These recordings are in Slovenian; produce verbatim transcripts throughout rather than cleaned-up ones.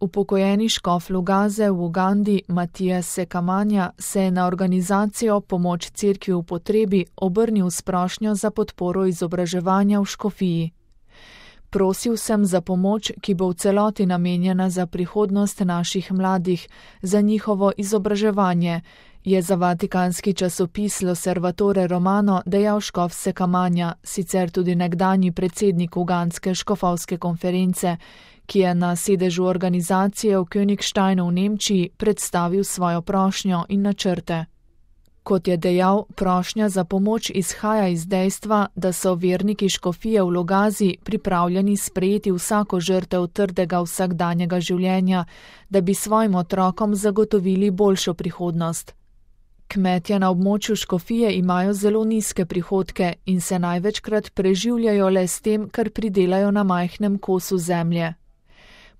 Upokojeni škof Lugaze v Ugandi Matija Sekamanja se je na organizacijo Pomoč cerkvi v potrebi obrnil s prošnjo za podporo izobraževanja v škofiji. Prosil sem za pomoč, ki bo v celoti namenjena za prihodnost naših mladih, za njihovo izobraževanje, je za vatikanski časopis L'Osservatore Romano dejal škof Sekamanja, sicer tudi nekdanji predsednik ugandske škofovske konference, ki je na sedežu organizacije v Königsteinu v Nemčiji predstavil svojo prošnjo in načrte. Kot je dejal, prošnja za pomoč izhaja iz dejstva, da so verniki škofije v Lugazi pripravljeni sprejeti vsako žrtev trdega vsakdanjega življenja, da bi svojim otrokom zagotovili boljšo prihodnost. Kmetje na območju škofije imajo zelo nizke prihodke in se največkrat preživljajo le s tem, kar pridelajo na majhnem kosu zemlje.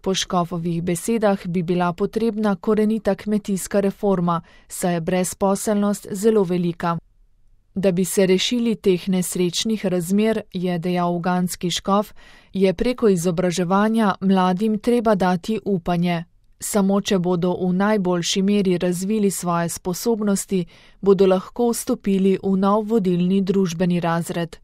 Po škofovih besedah bi bila potrebna korenita kmetijska reforma, saj je brezposelnost zelo velika. Da bi se rešili teh nesrečnih razmer, je dejal ugandski škof, je preko izobraževanja mladim treba dati upanje. Samo če bodo v najboljši meri razvili svoje sposobnosti, bodo lahko vstopili v nov vodilni družbeni razred.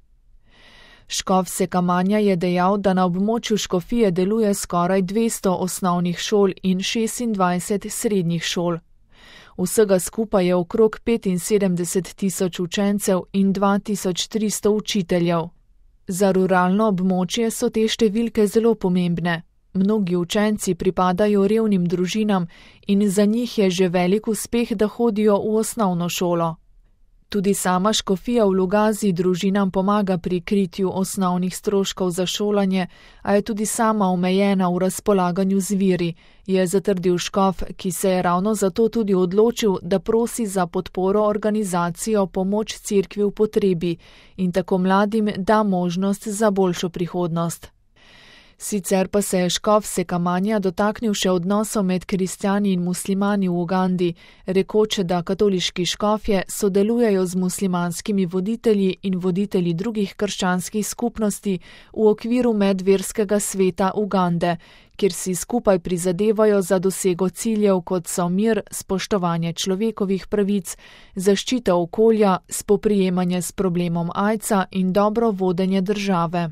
Škof Sekamanja je dejal, da na območju škofije deluje skoraj dvesto osnovnih šol in šestindvajset srednjih šol. Vsega skupaj je okrog petinsedemdeset tisoč učencev in dva tisoč tristo učiteljev. Za ruralno območje so te številke zelo pomembne. Mnogi učenci pripadajo revnim družinam in za njih je že velik uspeh, da hodijo v osnovno šolo. Tudi sama škofija v Lugazi družinam pomaga pri kritju osnovnih stroškov za šolanje, a je tudi sama omejena v razpolaganju z viri, je zatrdil škof, ki se je ravno zato tudi odločil, da prosi za podporo organizacijo Pomoč cerkvi v potrebi in tako mladim da možnost za boljšo prihodnost. Sicer pa se je škof Sekamanja dotaknil še odnosov med kristjani in muslimani v Ugandi, rekoč, da katoliški škofje sodelujejo z muslimanskimi voditelji in voditelji drugih krščanskih skupnosti v okviru medverskega sveta Ugande, kjer si skupaj prizadevajo za dosego ciljev, kot so mir, spoštovanje človekovih pravic, zaščita okolja, spoprijemanje s problemom aidsa in dobro vodenje države.